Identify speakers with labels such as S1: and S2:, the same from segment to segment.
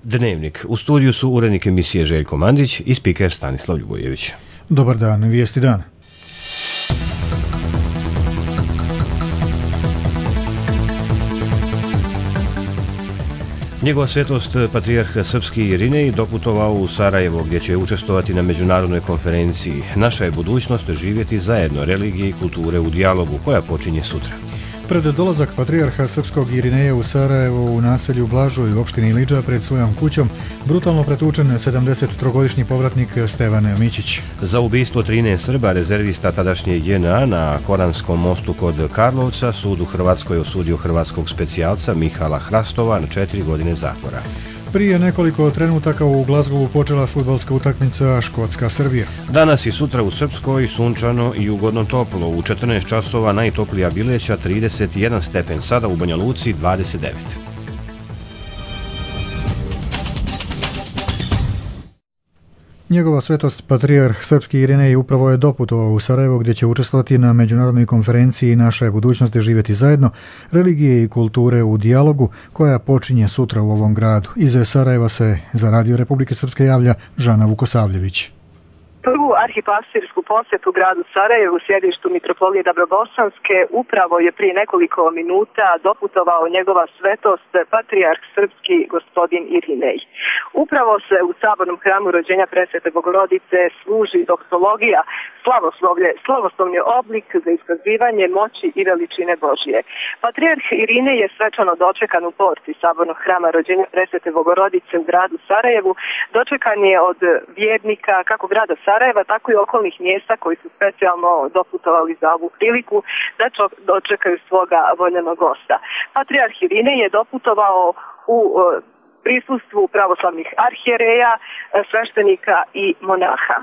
S1: Dnevnik. U studiju su urednik emisije Željko Mandić i spiker Stanislav Ljubojević.
S2: Dobar dan, vijesti dana.
S1: Njegova svetost patrijarh srpski Irinej doputovao u Sarajevo gdje će učestvovati na međunarodnoj konferenciji Naša je budućnost živjeti zajedno, religije i kulture u dijalogu, koja počinje sutra.
S2: Pred dolazak patrijarha srpskog Irineja u Sarajevo u naselju Blažoj u opštini Ilidža pred svojom kućom brutalno pretučen 73-godišnji povratnik Stevan Mićić.
S1: Za ubistvo 13 Srba, rezervista tadašnje JNA na Koranskom mostu kod Karlovca, sud u Hrvatskoj osudio hrvatskog specijalca Mihala Hrastova na 4 godine zatvora.
S2: Prije nekoliko trenutaka u Glazgovu počela fudbalska utakmica Škotska-Srbija.
S1: Danas i sutra u Srpskoj sunčano i ugodno toplo. U 14 časova najtoplija Bileća 31 stepen, sada u Banja Luci 29.
S2: Njegova svetost patrijarh srpski Irinej upravo je doputovao u Sarajevo gdje će učestvovati na međunarodnoj konferenciji Naša je budućnost živjeti zajedno, religije i kulture u dijalogu, koja počinje sutra u ovom gradu. Iz Sarajeva se za Radio Republike Srpske javlja Žana Vukosavljević.
S3: Prvu arhipastirsku posjetu gradu Sarajevu, sjedištu mitropolije Dabrobosanske, upravo je prije nekoliko minuta doputovao njegova svetost patrijarh srpski gospodin Irinej. Upravo se u sabornom hramu rođenja Presvete Bogorodice služi doksologija, slavoslovni oblik za iskazivanje moći i veličine Božije. Patrijarh Irinej je svečano dočekan u porti sabornog hrama rođenja Presvete Bogorodice u gradu Sarajevu. Dočekan je od vjernika kako grada Sarajeva, tako i okolnih mjesta koji su specijalno doputovali za ovu priliku da dočekaju svoga voljenog gosta. Patrijarh Irinej je doputovao u prisustvu pravoslavnih arhijereja, sveštenika i monaha.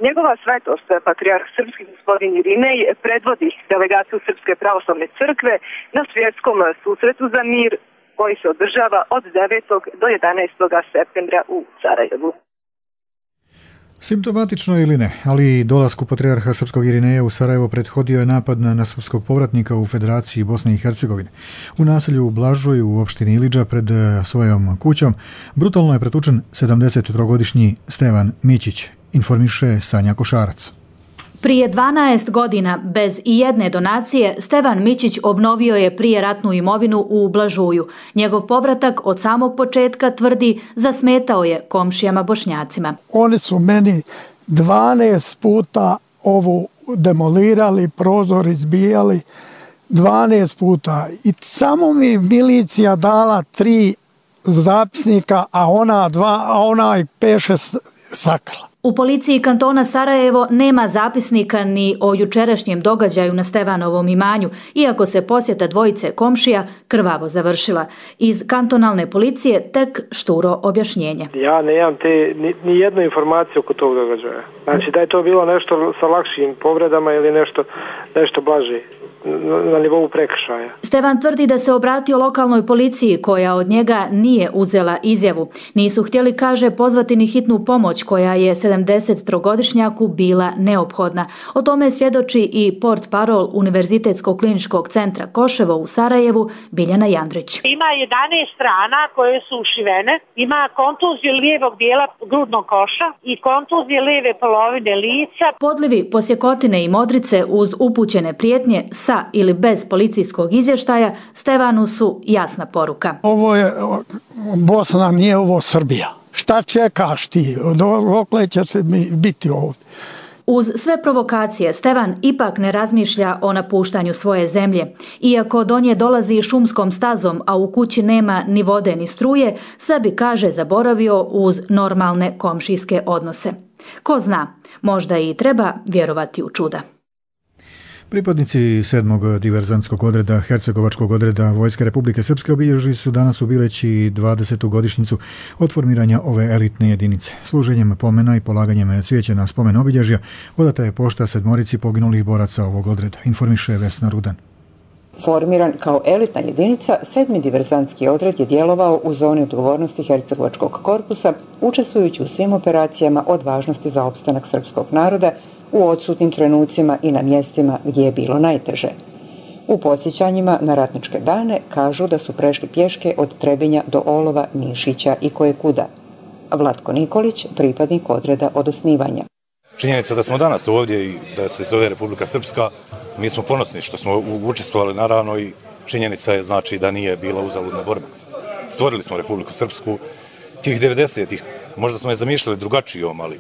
S3: Njegova svetost, patrijarh srpski gospodin Irinej, predvodi delegaciju Srpske pravoslavne crkve na svjetskom susretu za mir koji se održava od 9. do 11. septembra u Sarajevu.
S2: Simptomatično ili ne, ali dolasku patrijarha srpskog Irineja u Sarajevo prethodio je napad na srpskog povratnika u Federaciji Bosne i Hercegovine. U naselju Blažoj u opštini Ilidža pred svojom kućom brutalno je pretučen 73-godišnji Stevan Mićić, informiše Sanja Košarac.
S4: Prije 12 godina, bez ijedne donacije, Stevan Mićić obnovio je prijeratnu imovinu u Blažuju. Njegov povratak od samog početka, tvrdi, zasmetao je komšijama Bošnjacima.
S5: Oni su meni 12 puta ovu demolirali, prozor izbijali, 12 puta. I samo mi milicija dala 3 zapisnika, a ona 5-6 sakrala.
S4: U policiji kantona Sarajevo nema zapisnika ni o jučerašnjem događaju na Stevanovom imanju, iako se posjeta dvojice komšija krvavo završila. Iz kantonalne policije tek šturo objašnjenje.
S6: Ja nemam ni jednu informaciju oko tog događaja. Znači da je to bilo nešto sa lakšim povredama ili nešto blaže na nivou prekršaja.
S4: Stevan tvrdi da se obratio lokalnoj policiji koja od njega nije uzela izjavu. Nisu htjeli, kaže, pozvati ni hitnu pomoć koja je 73-godišnjaku bila neophodna. O tome svjedoči i portparol Univerzitetskog kliničkog centra Koševo u Sarajevu, Biljana Jandrić.
S7: Ima 11 rana koje su ušivene, ima kontuziju lijevog dijela grudnog koša i kontuzije lijeve polovine lica.
S4: Podlivi, posjekotine i modrice uz upućene prijetnje sa ili bez policijskog izvještaja Stevanu su jasna poruka.
S5: Ovo je Bosna, nije ovo Srbija. Šta čekaš ti? Dokle će se biti ovdje?
S4: Uz sve provokacije, Stevan ipak ne razmišlja o napuštanju svoje zemlje. Iako do nje dolazi šumskom stazom, a u kući nema ni vode ni struje, sve bi, kaže, zaboravio uz normalne komšijske odnose. Ko zna, možda i treba vjerovati u čuda.
S2: Pripadnici 7. diverzantskog odreda Hercegovačkog odreda Vojske Republike Srpske obilježili su danas u Bileći 20. godišnjicu od formiranja ove elitne jedinice. Služenjem pomena i polaganjem cvijeća na spomen obilježja odata je pošta 7 poginulih boraca ovog odreda, informiše Vesna Rudan.
S8: Formiran kao elitna jedinica, 7. diverzantski odred je djelovao u zoni odgovornosti Hercegovačkog korpusa, učestvujući u svim operacijama od važnosti za opstanak srpskog naroda u odsutnim trenucima i na mjestima gdje je bilo najteže. U podsjećanjima na ratničke dane kažu da su prešli pješke od Trebinja do Olova, Mišića i kojekuda. Vlatko Nikolić, pripadnik odreda od osnivanja.
S9: Činjenica da smo danas ovdje i da se zove Republika Srpska, mi smo ponosni što smo učestvovali naravno i činjenica je znači da nije bila uzaludna borba. Stvorili smo Republiku Srpsku, tih 90-ih, možda smo je zamišljali drugačijom, ali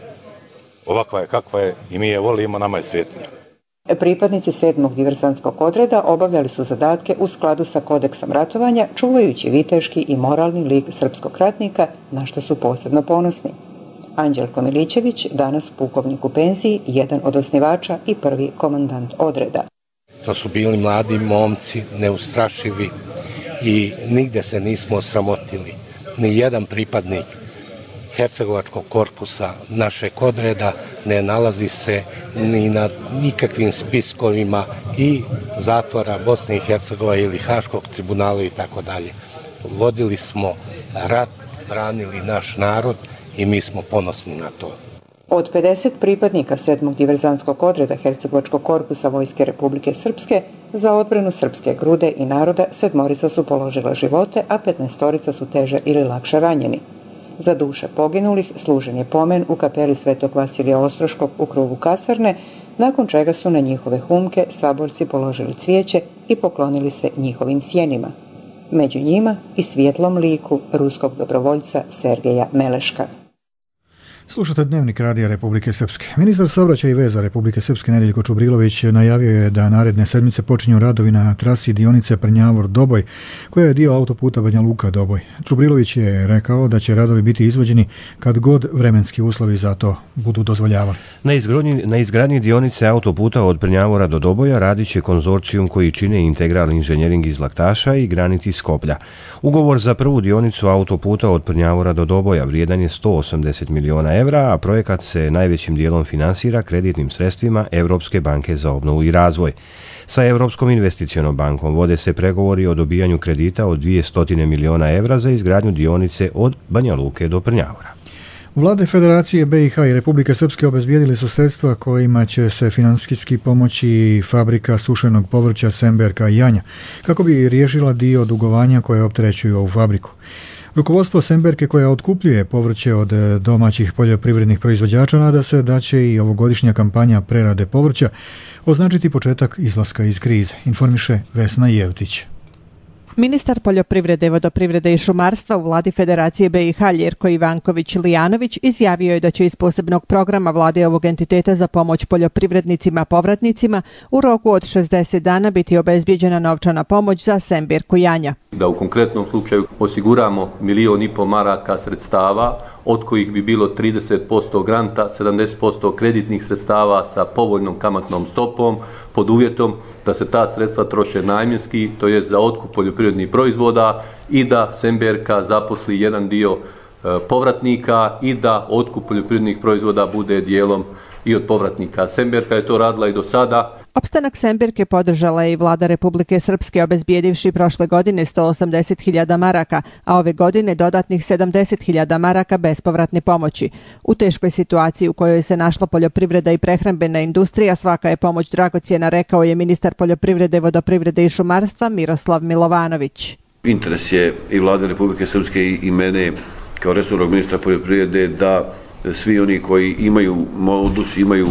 S9: ovakva je kakva je i mi je volimo, nama je svjetnija.
S8: Pripadnici 7. diverzantskog odreda obavljali su zadatke u skladu sa kodeksom ratovanja, čuvajući viteški i moralni lik srpskog ratnika, na što su posebno ponosni. Anđelko Milićević, danas pukovnik u penziji, jedan od osnivača i prvi komandant odreda.
S10: To su bili mladi momci, neustrašivi i nigde se nismo osramotili. Ni jedan pripadnik Hercegovačkog korpusa našeg odreda ne nalazi se ni na nikakvim spiskovima i zatvora Bosne i Hercegovine ili Haškog tribunala i tako dalje. Vodili smo rat, branili naš narod i mi smo ponosni na to.
S8: Od 50 pripadnika 7. diverzantskog odreda Hercegovačkog korpusa Vojske Republike Srpske za odbranu srpske grude i naroda 7 su položila živote, a 15 su teže ili lakše ranjeni. Za duše poginulih služen je pomen u kapeli Svetog Vasilija Ostroškog u krugu kasarne, nakon čega su na njihove humke saborci položili cvijeće i poklonili se njihovim sjenima. Među njima i svjetlom liku ruskog dobrovoljca Sergeja Meleška.
S2: Slušate Dnevnik Radija Republike Srpske. Ministar saobraćaja i veza Republike Srpske Nedeljko Čubrilović najavio je da naredne sedmice počinju radovi na trasi dionice Prnjavor-Doboj, koja je dio autoputa Banja Luka-Doboj. Čubrilović je rekao da će radovi biti izvođeni kad god vremenski uslovi za to budu dozvoljavali.
S1: Na izgradnji dionice autoputa od Prnjavora do Doboja radit će konzorcijum koji čine Integral inženjering iz Laktaša i Granit iz Skoplja. Ugovor za prvu dionicu autoputa od Prnjavora do Doboja vrijedan je 180 miliona evra, a projekat se najvećim dijelom finansira kreditnim sredstvima Europske banke za obnovu i razvoj. Sa Europskom investicionom bankom vode se pregovori o dobijanju kredita od 200 miliona evra za izgradnju dionice od Banja Luke do Prnjavora.
S2: Vlade Federacije BiH i Republike Srpske obezbijedili su sredstva kojima će se financijski pomoći fabrika sušenog povrća Semberka i Janja, kako bi riješila dio dugovanja koje opterećuju ovu fabriku. Rukovodstvo Semberke, koja otkupljuje povrće od domaćih poljoprivrednih proizvođača, nada se da će i ovogodišnja kampanja prerade povrća označiti početak izlaska iz krize, informiše Vesna Jevtić.
S11: Ministar poljoprivrede, vodoprivrede i šumarstva u vladi Federacije BiH Ljerko Ivanković-Lijanović izjavio je da će iz posebnog programa vlade ovog entiteta za pomoć poljoprivrednicima povratnicima u roku od 60 dana biti obezbijeđena novčana pomoć za Semberku Janja.
S12: Da u konkretnom slučaju osiguramo 1,5 miliona maraka sredstava, od kojih bi bilo 30% granta, 70% kreditnih sredstava sa povoljnom kamatnom stopom, pod uvjetom da se ta sredstva troše namjenski, to je za otkup poljoprivrednih proizvoda i da Semberka zaposli jedan dio povratnika i da otkup poljoprivrednih proizvoda bude dijelom i od povratnika. Semberka je to radila i do sada.
S11: Opstanak Semberke podržala je i vlada Republike Srpske, obezbijedivši prošle godine 180.000 maraka, a ove godine dodatnih 70.000 maraka bespovratne pomoći. U teškoj situaciji u kojoj se našla poljoprivreda i prehrambena industrija, svaka je pomoć dragocjena, rekao je ministar poljoprivrede, vodoprivrede i šumarstva Miroslav Milovanović.
S13: Interes je i vlade Republike Srpske i mene kao resornog ministra poljoprivrede da svi oni koji imaju modus, imaju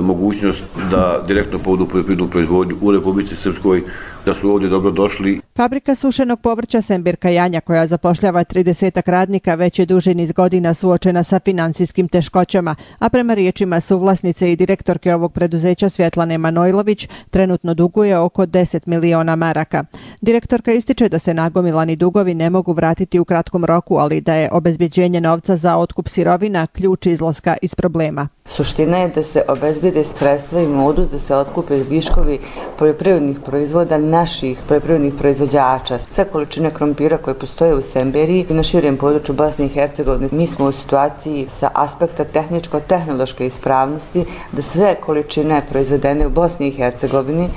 S13: mogućnost da direktno povodu poljoprivrednu proizvodnju u Republici Srpskoj, da su ovdje dobro došli.
S11: Fabrika sušenog povrća Semberka Janja, koja zapošljava 30 radnika, već je duži niz godina suočena sa financijskim teškoćama, a prema riječima suvlasnice i direktorke ovog preduzeća Svjetlane Manojlović trenutno duguje oko 10 miliona maraka. Direktorka ističe da se nagomilani dugovi ne mogu vratiti u kratkom roku, ali da je obezbjeđenje novca za otkup sirovina ključ izlaska iz problema.
S14: Suština je da se obezbijede sredstva i modus da se otkupe viškovi poljoprivrednih proizvoda naših poljoprivrednih proizvođača. Sve količine krompira koje postoje u Semberiji i na širem području Bosne i Hercegovine, mi smo u situaciji sa aspekta tehničko-tehnološke ispravnosti da sve količine proizvedene u Bosni i Hercegovini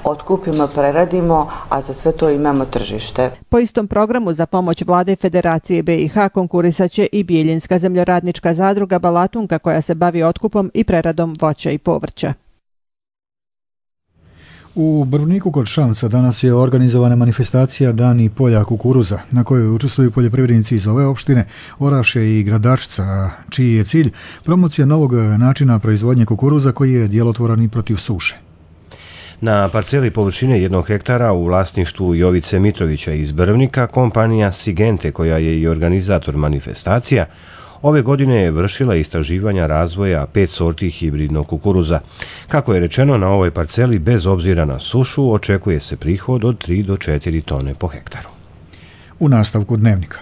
S14: otkupimo, preradimo, a za sve to imamo tržište.
S11: Po istom programu za pomoć vlade Federacije BiH konkurisaće i Bijeljinska zemljoradnička zadruga Balatunka, koja se bavi otkupom i preradom voća i povrća.
S2: U Brvniku kod Šamca danas je organizovana manifestacija Dani polja kukuruza, na kojoj učestvuju poljoprivrednici iz ove opštine, Orašje i Gradačca, čiji je cilj promocija novog načina proizvodnje kukuruza koji je djelotvoran i protiv suše.
S1: Na parceli površine 1 hektara u vlasništvu Jovice Mitrovića iz Brvnika, kompanija Sigente, koja je i organizator manifestacija, ove godine je vršila istraživanja razvoja 5 sorti hibridnog kukuruza. Kako je rečeno, na ovoj parceli, bez obzira na sušu, očekuje se prihod od 3 do 4 tone po hektaru.
S2: U nastavku dnevnika.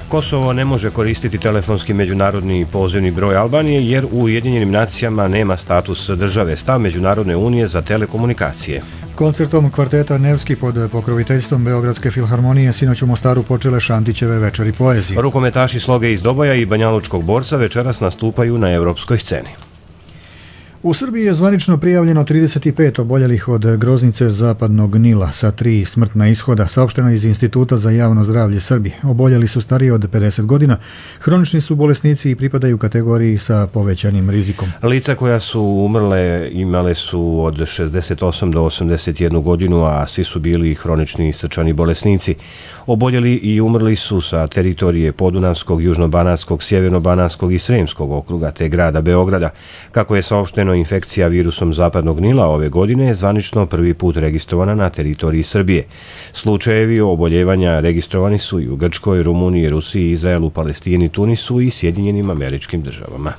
S1: Kosovo ne može koristiti telefonski međunarodni pozivni broj Albanije jer u Ujedinjenim nacijama nema status države, stav Međunarodne unije za telekomunikacije.
S2: Koncertom kvarteta Nevski pod pokroviteljstvom Beogradske filharmonije sinoć u Mostaru počele Šantićeve večeri poezije.
S1: Rukometaši Sloge iz Doboja i Banjalučkog borca večeras nastupaju na evropskoj sceni.
S2: U Srbiji je zvanično prijavljeno 35 oboljelih od groznice zapadnog Nila sa 3 smrtna ishoda, saopšteno iz Instituta za javno zdravlje Srbije. Oboljeli su stariji od 50 godina, hronični su bolesnici i pripadaju kategoriji sa povećanim rizikom.
S1: Lica koja su umrle imale su od 68 do 81 godinu, a svi su bili hronični srčani bolesnici. Oboljeli i umrli su sa teritorije Podunavskog, Južnobanatskog, Sjevernobanatskog i Sremskog okruga te grada Beograda. Kako je saopšteno, infekcija virusom zapadnog Nila ove godine je zvanično prvi put registrovana na teritoriji Srbije. Slučajevi oboljevanja registrovani su i u Grčkoj, Rumuniji, Rusiji, Izraelu, Palestini, Tunisu i Sjedinjenim Američkim Državama.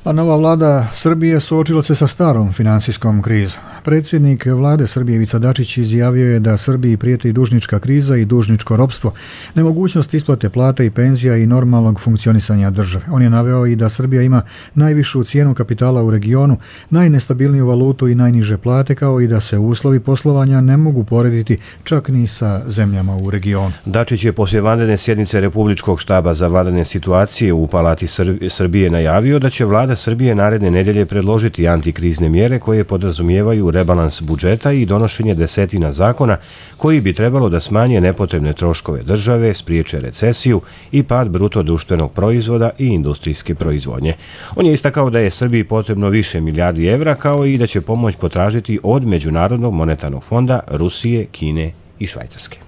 S2: A nova vlada Srbije suočila se sa starom finansijskom krizom. Predsjednik vlade Srbije Ivica Dačić izjavio je da Srbiji prijeti dužnička kriza i dužničko ropstvo, nemogućnost isplate plata i penzija i normalnog funkcionisanja države. On je naveo i da Srbija ima najvišu cijenu kapitala u regionu, najnestabilniju valutu i najniže plate, kao i da se uslovi poslovanja ne mogu porediti čak ni sa zemljama u regionu.
S1: Dačić je poslije vanredne sjednice Republičkog štaba za vanredne situacije u Palati Srbije najavio da će vlada Srbije naredne nedelje predložiti antikrizne mjere koje podrazumijevaju rebalans budžeta i donošenje desetina zakona koji bi trebalo da smanje nepotrebne troškove države, spriječe recesiju i pad bruto društvenog proizvoda i industrijske proizvodnje. On je istakao da je Srbiji potrebno više milijardi evra, kao i da će pomoć potražiti od Međunarodnog monetarnog fonda, Rusije, Kine i Švajcarske.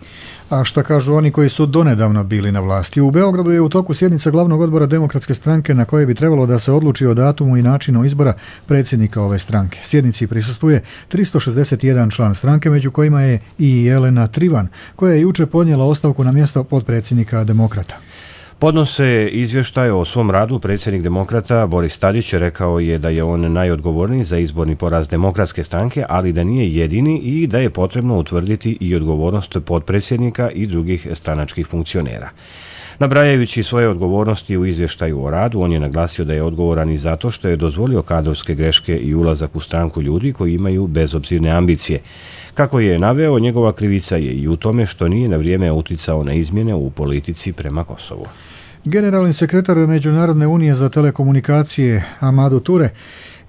S2: A šta kažu oni koji su donedavno bili na vlasti? U Beogradu je u toku sjednica glavnog odbora Demokratske stranke na kojoj bi trebalo da se odluči o datumu i načinu izbora predsjednika ove stranke. Sjednici prisustvuje 361 član stranke, među kojima je i Jelena Trivan, koja je juče podnijela ostavku na mjesto potpredsjednika Demokrata.
S1: Podnose izvještaj o svom radu predsjednik Demokrata Boris Tadić rekao je da je on najodgovorniji za izborni poraz Demokratske stranke, ali da nije jedini i da je potrebno utvrditi i odgovornost potpredsjednika i drugih stranačkih funkcionera. Nabrajajući svoje odgovornosti u izvještaju o radu, on je naglasio da je odgovoran i zato što je dozvolio kadrovske greške i ulazak u stranku ljudi koji imaju bezobzirne ambicije. Kako je naveo, njegova krivica je i u tome što nije na vrijeme uticao na izmjene u politici prema Kosovu.
S2: Generalni sekretar Međunarodne unije za telekomunikacije Amadou Toure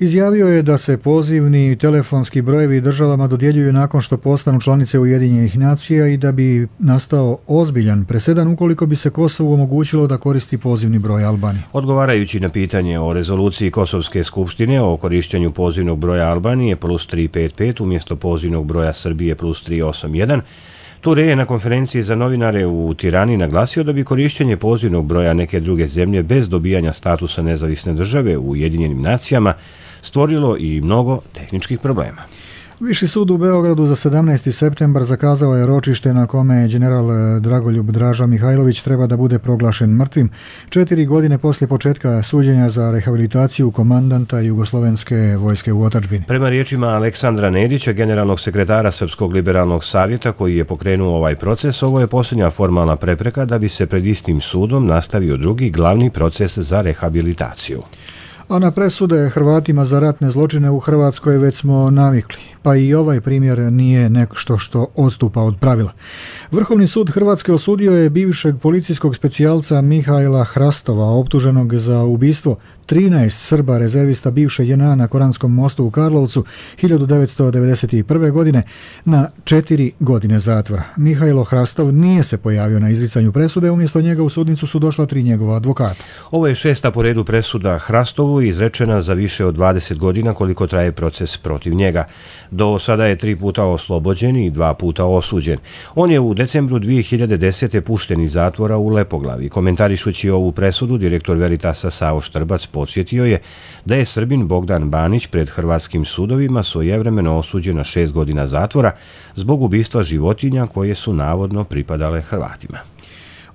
S2: izjavio je da se pozivni telefonski brojevi državama dodjeljuju nakon što postanu članice Ujedinjenih nacija i da bi nastao ozbiljan presedan ukoliko bi se Kosovu omogućilo da koristi pozivni broj Albanije.
S1: Odgovarajući na pitanje o rezoluciji Kosovske skupštine o korištenju pozivnog broja Albanije plus 355 umjesto pozivnog broja Srbije plus 381, Toure je na konferenciji za novinare u Tirani naglasio da bi korištenje pozivnog broja neke druge zemlje bez dobijanja statusa nezavisne države u Ujedinjenim nacijama stvorilo i mnogo tehničkih problema.
S2: Viši sud u Beogradu za 17. septembar zakazao je ročište na kome general Dragoljub Draža Mihajlović treba da bude proglašen mrtvim 4 godine poslije početka suđenja za rehabilitaciju komandanta Jugoslovenske vojske u otadžbini.
S1: Prema riječima Aleksandra Nedića, generalnog sekretara Srpskog liberalnog savjeta koji je pokrenuo ovaj proces, ovo je posljednja formalna prepreka da bi se pred istim sudom nastavio drugi glavni proces za rehabilitaciju.
S2: A na presude Hrvatima za ratne zločine u Hrvatskoj već smo navikli, pa i ovaj primjer nije nešto što odstupa od pravila. Vrhovni sud Hrvatske osudio je bivšeg policijskog specijalca Mihaila Hrastova, optuženog za ubistvo 13 Srba rezervista bivše JNA na Koranskom mostu u Karlovcu 1991. godine na 4 godine zatvora. Mihailo Hrastov nije se pojavio na izricanju presude, umjesto njega u sudnicu su došla 3 njegova advokata.
S1: Ovo je 6. po redu presuda Hrastovu, izrečena za više od 20 godina koliko traje proces protiv njega. Do sada je 3 puta oslobođen i 2 puta osuđen. On je u decembru 2010. pušten iz zatvora u Lepoglavi. Komentarišući ovu presudu, direktor Veritasa Savo Štrbac podsjetio je da je Srbin Bogdan Banić pred hrvatskim sudovima svojevremeno osuđen na 6 godina zatvora zbog ubistva životinja koje su navodno pripadale Hrvatima.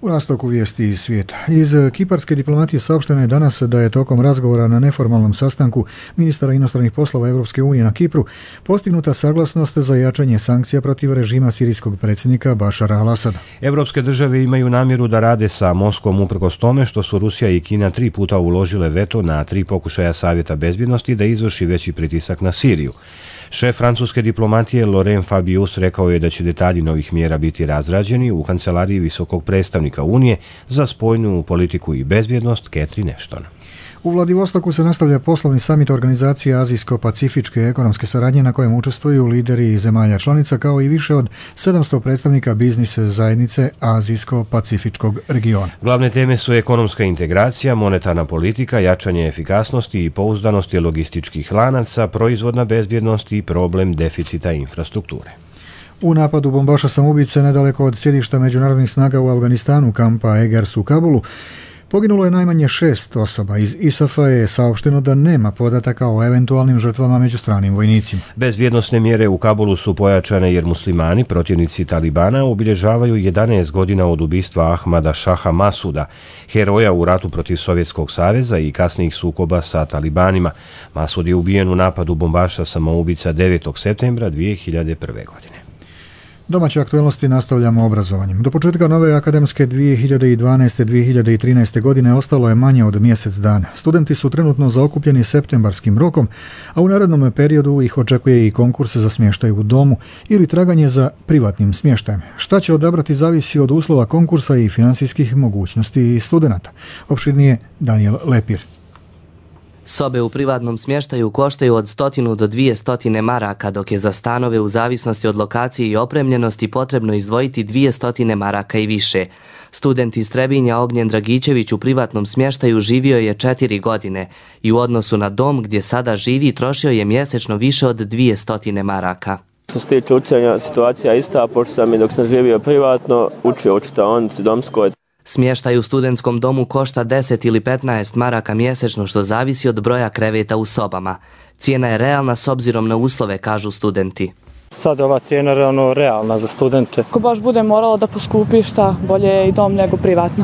S2: U nastavku vijesti iz svijeta. Iz kiparske diplomatije saopšteno je danas da je tokom razgovora na neformalnom sastanku ministara inostranih poslova Europske unije na Kipru postignuta saglasnost za jačanje sankcija protiv režima sirijskog predsjednika Bašara al-Asada.
S1: Evropske države imaju namjeru da rade sa Moskvom uprkos tome što su Rusija i Kina 3 puta uložile veto na 3 pokušaja Savjeta bezbjednosti da izvrši veći pritisak na Siriju. Šef francuske diplomatije Laurent Fabius rekao je da će detalji novih mjera biti razrađeni u kancelariji visokog predstavnika Unije za spoljnu politiku i bezbjednost Catherine Ashton.
S2: U Vladivostoku se nastavlja poslovni samit organizacije Azijsko-pacifičke ekonomske saradnje na kojem učestvuju lideri zemalja članica kao i više od 700 predstavnika biznis zajednice Azijsko-pacifičkog regiona.
S1: Glavne teme su ekonomska integracija, monetarna politika, jačanje efikasnosti i pouzdanosti logističkih lanaca, proizvodna bezbjednost i problem deficita infrastrukture.
S2: U napadu bombaša samoubice nedaleko od sjedišta međunarodnih snaga u Afganistanu, kampa Egers u Kabulu, poginulo je najmanje 6 osoba. Iz ISAF-a je saopšteno da nema podataka o eventualnim žrtvama među stranim vojnicima.
S1: Bezbjednosne mjere u Kabulu su pojačane jer muslimani, protivnici Talibana, obilježavaju 11 godina od ubistva Ahmada Šaha Masuda, heroja u ratu protiv Sovjetskog saveza i kasnijih sukoba sa Talibanima. Masud je ubijen u napadu bombaša samoubica 9. septembra 2001. godine.
S2: Domaće aktualnosti nastavljamo obrazovanjem. Do početka nove akademske 2012-2013. godine ostalo je manje od mjesec dana. Studenti su trenutno zaokupljeni septembarskim rokom, a u narednom periodu ih očekuje i konkurs za smještaj u domu ili traganje za privatnim smještajem. Šta će odabrati zavisi od uslova konkursa i financijskih mogućnosti studenata. Opširnije Daniel Lepir.
S15: Sobe u privatnom smještaju koštaju od 100 do 200 maraka, dok je za stanove u zavisnosti od lokacije i opremljenosti potrebno izdvojiti 200 maraka i više. Student iz Trebinja Ognjen Dragičević u privatnom smještaju živio je 4 godine i u odnosu na dom gdje sada živi trošio je mjesečno više od 200 maraka.
S16: Što se tiče učenja, situacija je ista, pošto sam i dok sam živio privatno, učio u čitaonici domskoj.
S15: Smještaj u studentskom domu košta 10 ili 15 maraka mjesečno, što zavisi od broja kreveta u sobama. Cijena je realna s obzirom na uslove, kažu studenti.
S17: Sad ova cijena je realna za studente.
S18: Ako baš bude moralo da poskupi, šta bolje je i dom nego privatno.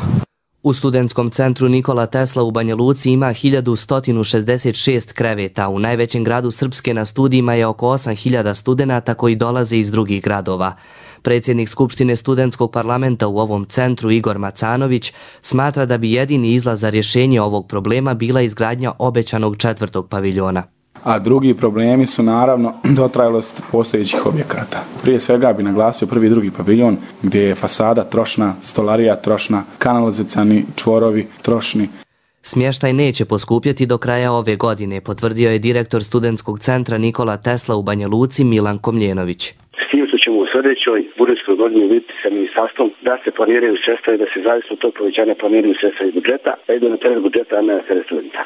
S15: U studentskom centru Nikola Tesla u Banja Luci ima 1166 kreveta. U najvećem gradu Srpske na studijima je oko 8000 studenata koji dolaze iz drugih gradova. Predsjednik Skupštine studentskog parlamenta u ovom centru Igor Macanović smatra da bi jedini izlaz za rješenje ovog problema bila izgradnja obećanog 4. paviljona.
S19: A drugi problemi su naravno dotrajalost postojećih objekata. Prije svega bi naglasio 1. i 2. paviljon gdje je fasada trošna, stolarija trošna, kanalizacioni čvorovi trošni.
S15: Smještaj neće poskupjeti do kraja ove godine, potvrdio je direktor studentskog centra Nikola Tesla u Banja Luci Milan Komljenović.
S20: S tim što ćemo u sljedećoj budžetskoj godini vidjeti sa ministarstvom da se planiraju sredstva i da se zavisno od tog povećanja planiraju sredstva iz budžeta, a idu na teret budžeta, a ne na teret studenta.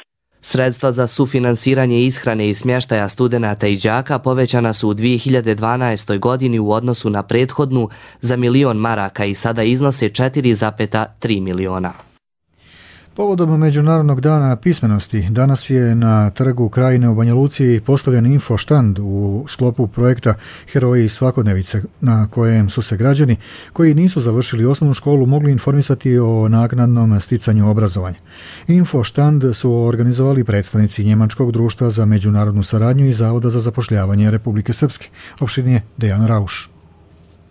S15: Sredstva za sufinansiranje ishrane i smještaja studenata i đaka povećana su u 2012. godini u odnosu na prethodnu za 1 milion maraka i sada iznose 4,3 miliona.
S2: Povodom Međunarodnog dana pismenosti, danas je na trgu Krajine u Banja Luci postavljen infoštand u sklopu projekta Heroji svakodnevice, na kojem su se građani koji nisu završili osnovnu školu mogli informisati o naknadnom sticanju obrazovanja. Infoštand su organizovali predstavnici Njemačkog društva za međunarodnu saradnju i Zavoda za zapošljavanje Republike Srpske. Opširnije Dejan Rauš.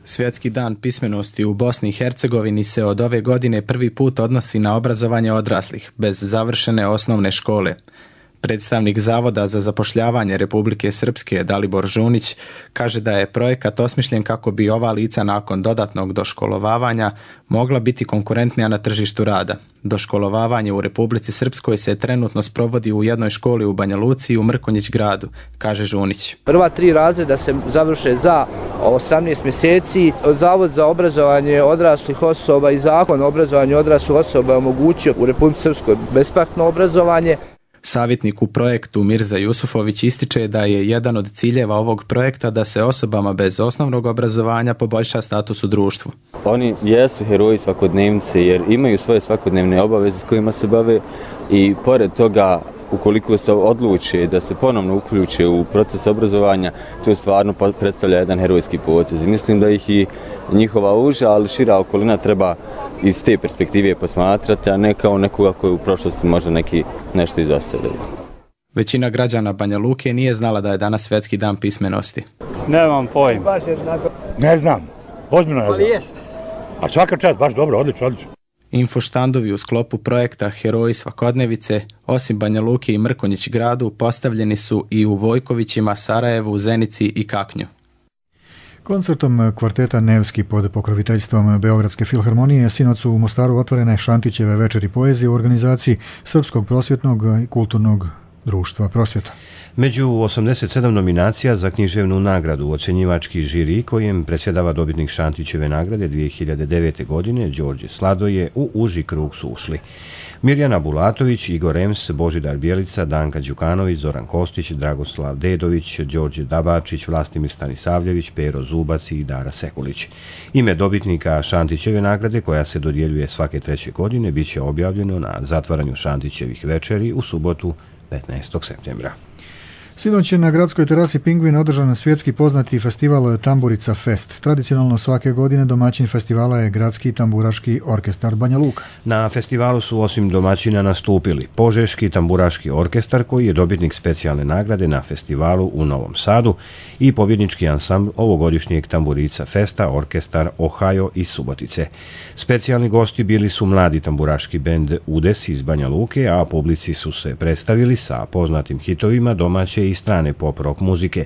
S21: Svjetski dan pismenosti u Bosni i Hercegovini se od ove godine prvi put odnosi na obrazovanje odraslih bez završene osnovne škole. Predstavnik Zavoda za zapošljavanje Republike Srpske Dalibor Žunić kaže da je projekat osmišljen kako bi ova lica nakon dodatnog doškolovavanja mogla biti konkurentnija na tržištu rada. Doškolovavanje u Republici Srpskoj se trenutno sprovodi u jednoj školi u Banja Luci i u Mrkonjić gradu, kaže Žunić.
S3: Prva 3 razreda se završe za 18 mjeseci. Zavod za obrazovanje odraslih osoba i Zakon o obrazovanju odraslih osoba je omogućio u Republici Srpskoj besplatno obrazovanje.
S21: Savjetnik u projektu Mirza Jusufović ističe da je jedan od ciljeva ovog projekta da se osobama bez osnovnog obrazovanja poboljša status u društvu.
S22: Oni jesu heroji svakodnevnice jer imaju svoje svakodnevne obaveze s kojima se bave i pored toga ukoliko se odluče da se ponovno uključe u proces obrazovanja, to stvarno predstavlja jedan herojski potez. Mislim da ih i njihova uža, ali šira okolina treba iz te perspektive posmatrati, a ne kao nekoga koji u prošlosti možda nešto izostavljaju.
S21: Većina građana Banja Luke nije znala da je danas Svjetski dan pismenosti.
S17: Nemam pojma.
S23: Ne znam, ozbiljno ne znam. A svaka čast, baš dobro, odlično.
S21: Infoštandovi u sklopu projekta Heroji svakodnevice, osim Banja Luke i Mrkonjić gradu, postavljeni su i u Vojkovićima, Sarajevu, Zenici i Kaknju.
S2: Koncertom kvarteta Nevski pod pokroviteljstvom Beogradske filharmonije sinoć su u Mostaru otvorene Šantićeve večeri poezije u organizaciji Srpskog prosvjetnog i kulturnog društva Prosvjeta.
S1: Među 87 nominacija za književnu nagradu ocjenjivački žiri kojem predsjedava dobitnik Šantićeve nagrade 2009. godine Đorđe Sladoje u uži krug su ušli Mirjana Bulatović, Igor Ems, Božidar Bjelica, Danka Đukanović, Zoran Kostić, Dragoslav Dedović, Đorđe Dabačić, Vlastimir Stanisavljević, Pero Zubac i Dara Sekulić. Ime dobitnika Šantićeve nagrade, koja se dodjeljuje svake 3. godine, bit će objavljeno na zatvaranju Šantićevih večeri u subotu 15. septembra.
S2: Sinoć je na gradskoj terasi Pingvin održan svjetski poznati festival Tamburica Fest. Tradicionalno svake godine domaćin festivala je Gradski tamburaški orkestar Banja Luka.
S1: Na festivalu su osim domaćina nastupili Požeški tamburaški orkestar koji je dobitnik specijalne nagrade na festivalu u Novom Sadu i pobjednički ansambl ovogodišnjeg Tamburica Festa orkestar Ohio iz Subotice. Specijalni gosti bili su mladi tamburaški bend Udes iz Banja Luke, a publici su se predstavili sa poznatim hitovima domaće i strane pop rock muzike.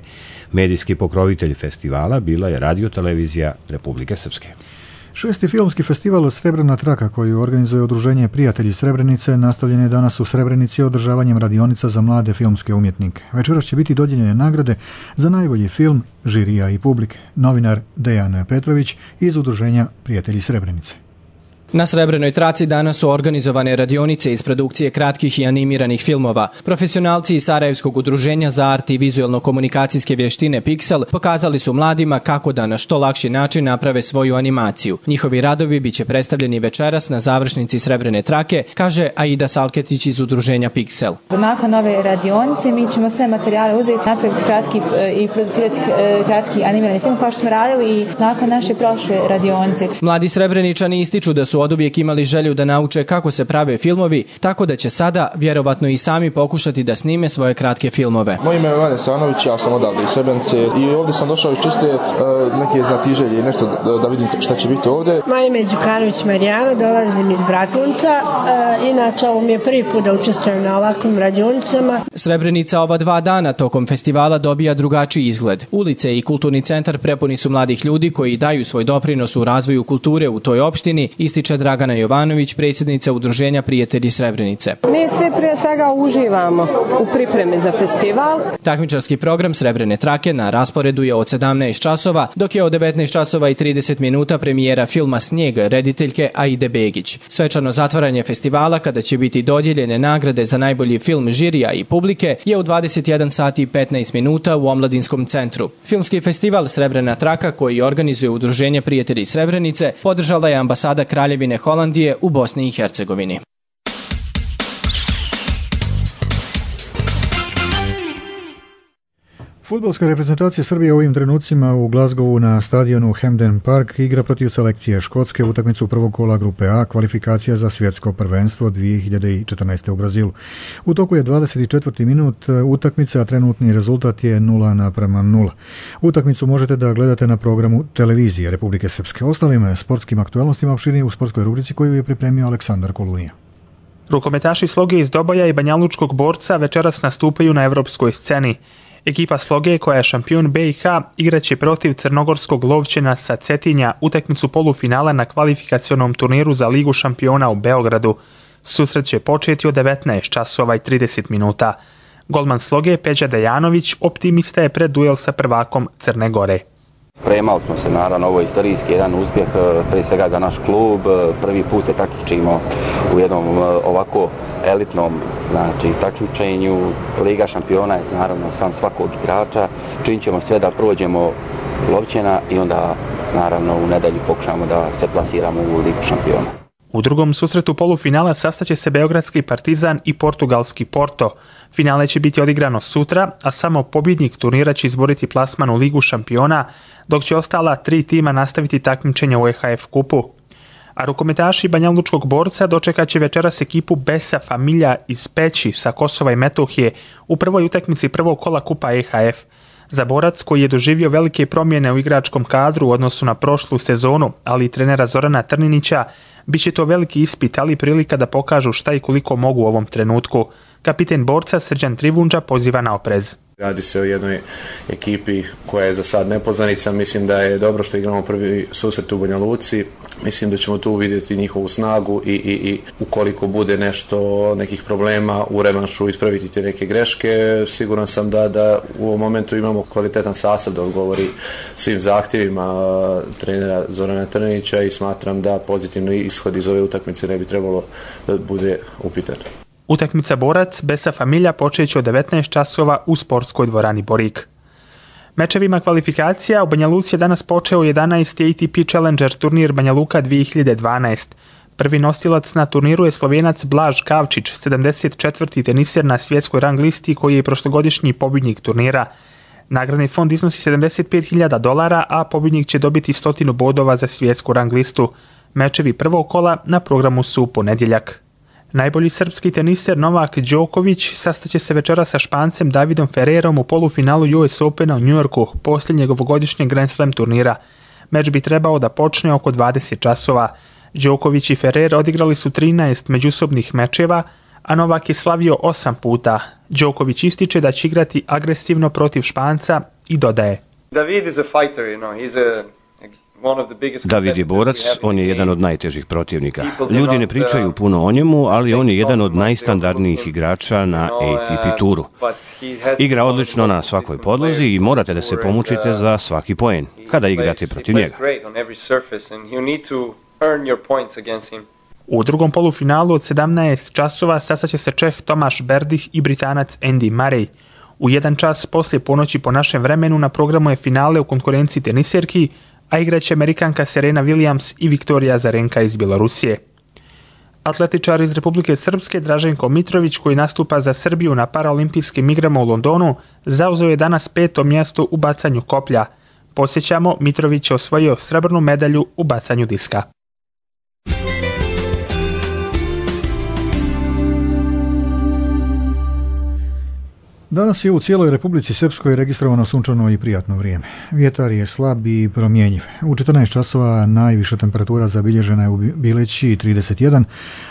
S1: Medijski pokrovitelj festivala bila je Radio-televizija Republike Srpske.
S2: 6. filmski festival Srebrna traka koji organizuje Udruženje Prijatelji Srebrenice nastavljen je danas u Srebrenici održavanjem radionica za mlade filmske umjetnike. Večeras će biti dodijeljene nagrade za najbolji film, žirija i publike. Novinar Dejan Petrović iz Udruženja Prijatelji Srebrenice.
S24: Na Srebrenoj traci danas su organizovane radionice iz produkcije kratkih i animiranih filmova. Profesionalci iz Sarajevskog udruženja za art i vizuelno-komunikacijske vještine Pixel pokazali su mladima kako da na što lakši način naprave svoju animaciju. Njihovi radovi biće predstavljeni večeras na završnici Srebrene trake, kaže Aida Salketić iz udruženja Pixel.
S25: Nakon ove radionice mi ćemo sve materijale uzeti, napraviti kratki i producirati kratki animirani film kao što smo radili i nakon naše prošle radionice.
S24: Mladi Srebreničani ističu da su oduvijek imali želju da nauče kako se prave filmovi, tako da će sada vjerovatno i sami pokušati da snime svoje kratke filmove.
S26: Moje ime je Vane Stanović, ja sam odavde iz Srebrenice i ovdje sam došao iz čiste neke znatiželje i nešto da vidim šta će biti ovdje.
S27: Moje ime je Đukanović Marijana, dolazim iz Bratunca, inače ovo mi je prvi put da učestvujem na ovakvim radionicama.
S24: Srebrenica ova 2 dana tokom festivala dobija drugačiji izgled. Ulice i kulturni centar prepuni su mladih ljudi koji daju svoj doprinos u razvoju kulture u toj opštini, ističe Dragana Jovanović, predsjednica Udruženja Prijatelji Srebrenice.
S28: Mi svi prije svega uživamo u pripremi za festival.
S24: Takmičarski program Srebrene trake na rasporedu je od 17 časova, dok je od 19 časova i 30 minuta premijera filma Snijeg rediteljke Aide Begić. Svečano zatvaranje festivala, kada će biti dodijeljene nagrade za najbolji film žirija i publike, je u 21 sati i 15 minuta u Omladinskom centru. Filmski festival Srebrena traka, koji organizuje Udruženje Prijatelji Srebrenice, podržala je ambasada Kraljevine Holandije u Bosni i Hercegovini.
S2: Fudbalska reprezentacija Srbije u ovim trenucima u Glasgowu na stadionu Hampden Park igra protiv selekcije Škotske utakmicu prvog kola grupe A kvalifikacija za svjetsko prvenstvo 2014. u Brazilu. U toku je 24. minut utakmice, a trenutni rezultat je 0:0. Utakmicu možete da gledate na programu televizije Republike Srpske. Ostalim sportskim aktualnostima opširnije u sportskoj rubrici koju je pripremio Aleksandar Kolunija.
S4: Rukometaši Sloge iz Doboja i Banjalučkog Borca večeras nastupaju na evropskoj sceni. Ekipa Sloge, koja je šampion BiH, igraće protiv crnogorskog Lovćena sa Cetinja utakmicu polufinala na kvalifikacionom turniru za Ligu šampiona u Beogradu. Susret će početi od 19:30. Golman Sloge Peđa Dejanović optimista je pred duel sa prvakom Crne Gore.
S5: Spremali smo se, naravno, ovo je istorijski jedan uspjeh, prije svega za naš klub. Prvi put se takmičimo u jednom ovako elitnom takmičenju. Liga šampiona je naravno san svakog igrača. Činit ćemo sve da prođemo Lovćena i onda naravno u nedjelju pokušamo da se plasiramo u Ligu šampiona.
S4: U drugom susretu polufinala sastaće se beogradski Partizan i portugalski Porto. Finale će biti odigrano sutra, a samo pobjednik turnira će izboriti plasman u Ligu šampiona, dok će ostala 3 tima nastaviti takmičenje u EHF kupu. A rukometaši Banjalučkog Borca dočekat će večeras ekipu Besa Familja iz Peći sa Kosova i Metohije u prvoj utakmici prvog kola kupa EHF. Za Borac, koji je doživio velike promjene u igračkom kadru u odnosu na prošlu sezonu, ali i trenera Zorana Trninića, bit će to veliki ispit, ali i prilika da pokažu šta i koliko mogu u ovom trenutku. Kapiten Borca Srđan Trivundža poziva na oprez.
S6: Radi se o jednoj ekipi koja je za sad nepoznanica. Mislim da je dobro što igramo prvi susret u Banja Luci. Mislim da ćemo tu vidjeti njihovu snagu i ukoliko bude nekih problema u revanšu ispraviti te neke greške. Siguran sam da u ovom momentu imamo kvalitetan sastav da odgovori svim zahtjevima trenera Zorana Trnića i smatram da pozitivni ishod iz ove utakmice ne bi trebalo da bude upitan.
S4: Utakmica Borac Besa Familja počeće od 19:00 u sportskoj dvorani Borik. Mečevima kvalifikacija u Banja Luci je danas počeo 11. ATP Challenger turnir Banja Luka 2012. Prvi nosilac na turniru je Slovenac Blaž Kavčić, 74. teniser na svjetskoj rang listi koji je prošlogodišnji pobjednik turnira. Nagradni fond iznosi $75.000, a pobjednik će dobiti 100 bodova za svjetsku rang listu. Mečevi prvog kola na programu su u ponedjeljak. Najbolji srpski teniser Novak Đoković sastaće se večera sa Špancem Davidom Ferrerom u polufinalu US Opena u Njujorku, posljednjeg ovogodišnjeg Grand Slam turnira. Meč bi trebao da počne oko 20:00. Đoković i Ferrer odigrali su 13 međusobnih mečeva, a Novak je slavio 8 puta. Đoković ističe da će igrati agresivno protiv Španca i dodaje:
S7: David is a fighter,
S1: David je borac, on je jedan od najtežih protivnika. Ljudi ne pričaju puno o njemu, ali on je jedan od najstandardnijih igrača na ATP turu. Igra odlično na svakoj podlozi i morate da se pomučite za svaki poen kada igrate protiv njega.
S4: U drugom polufinalu od 17:00 sastaće se Čeh Tomáš Berdych i Britanac Andy Murray. U 1:00 poslije ponoći po našem vremenu na programu je finale u konkurenciji teniserki, a igraće Amerikanka Serena Williams i Viktorija Azarenka iz Bjelorusije. Atletičar iz Republike Srpske Draženko Mitrović, koji nastupa za Srbiju na paraolimpijskim igrama u Londonu, zauzeo je danas 5. mjesto u bacanju koplja. Podsjećamo, Mitrović je osvojio srebrnu medalju u bacanju diska.
S2: Danas je u cijeloj Republici Srpskoj registrovano sunčano i prijatno vrijeme. Vjetar je slab i promjenjiv. U 14:00 najviša temperatura zabilježena je u Bileći 31,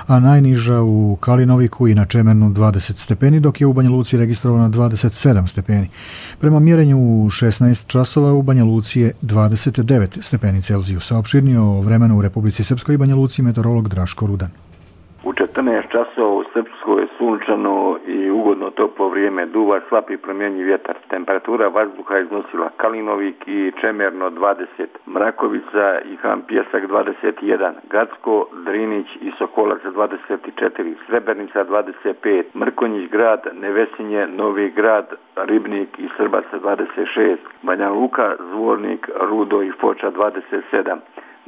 S2: a najniža u Kalinoviku i na Čemernu 20 stepeni, dok je u Banja Luci registrovano 27 stepeni. Prema mjerenju u 16:00 u Banja Luci je 29 stepeni Celzijusa. Opširnije o vremenu u Republici Srpskoj i Banja Luci meteorolog Draško Rudan.
S8: U 14:00 u Srpskoj je sunčano i ugodno toplo vrijeme, duva slab i promjenjiv vjetar. Temperatura vazduha iznosila Kalinovik i Čemerno 20, Mrakovica i Han Pjesak 21, Gacko, Drinić i Sokolac 24, Srebrnica 25, Mrkonjić grad, Nevesinje, Novi grad, Ribnik i Srbac 26, Banja Luka, Zvornik, Rudo i Foča 27,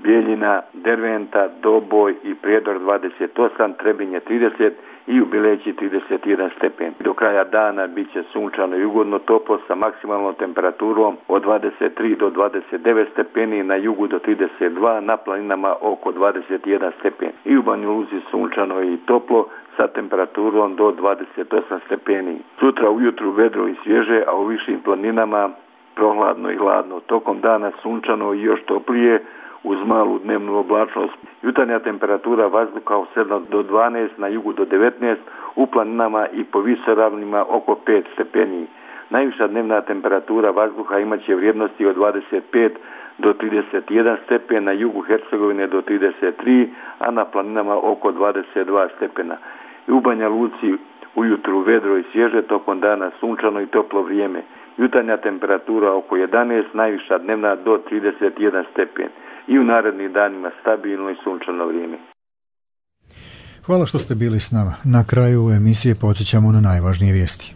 S8: Bijeljina, Derventa, Doboj i Prijedor 28, Trebinje 30 i u Bileći 31 stepen. Do kraja dana bit će sunčano i ugodno toplo sa maksimalnom temperaturom od 23 do 29 stepeni, na jugu do 32, na planinama oko 21 stepen. I u Banja Luci sunčano i toplo sa temperaturom do 28 stepeni. Sutra ujutru vedro i svježe, a u višim planinama prohladno i hladno. Tokom dana sunčano i još toplije, uz malu dnevnu oblačnost. Jutarnja temperatura vazduha od 7 do 12, na jugu do 19, u planinama i po visoravnima oko 5 stepeni. Najviša dnevna temperatura vazduha imaće vrijednosti od 25 do 31 stepen, na jugu Hercegovine do 33, a na planinama oko 22 stepena. I u Banja Luci ujutru vedro i svježe, tokom dana sunčano i toplo vrijeme. Jutarnja temperatura oko 11, najviša dnevna do 31 stepen. I u narednim danima stabilno i sunčano vrijeme.
S2: Hvala što ste bili s nama. Na kraju emisije podsjećamo na najvažnije vijesti.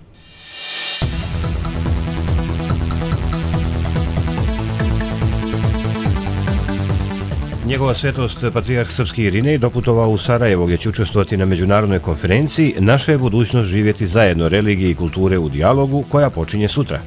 S1: Njegova svetost patrijarh srpski Irinej doputovao u Sarajevo gdje će učestvovati na međunarodnoj konferenciji Naša je budućnost živjeti zajedno, religije i kulture u dijalogu, koja počinje sutra.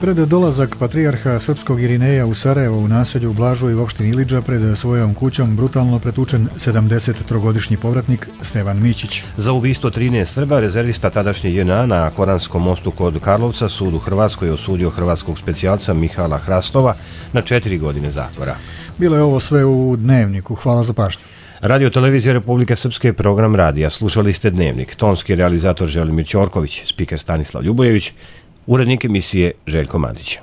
S2: Pred dolazak patrijarha srpskog Irineja u Sarajevo u naselju Blažoj u opštini Ilidža pred svojom kućom brutalno pretučen 73-godišnji povratnik Stevan Mićić.
S1: Za ubistvo 13 Srba rezervista tadašnje JNA na Koranskom mostu kod Karlovca sud u Hrvatskoj osudio hrvatskog specijalca Mihala Hrastova na 4 godine zatvora.
S2: Bilo je ovo sve u Dnevniku. Hvala za pažnju.
S1: Radio Televizija Republike Srpske, program radija. Slušali ste Dnevnik. Tonski realizator Želimir Ćorković, spiker Stanislav Ljubojević, urednik emisije Željko Mandić.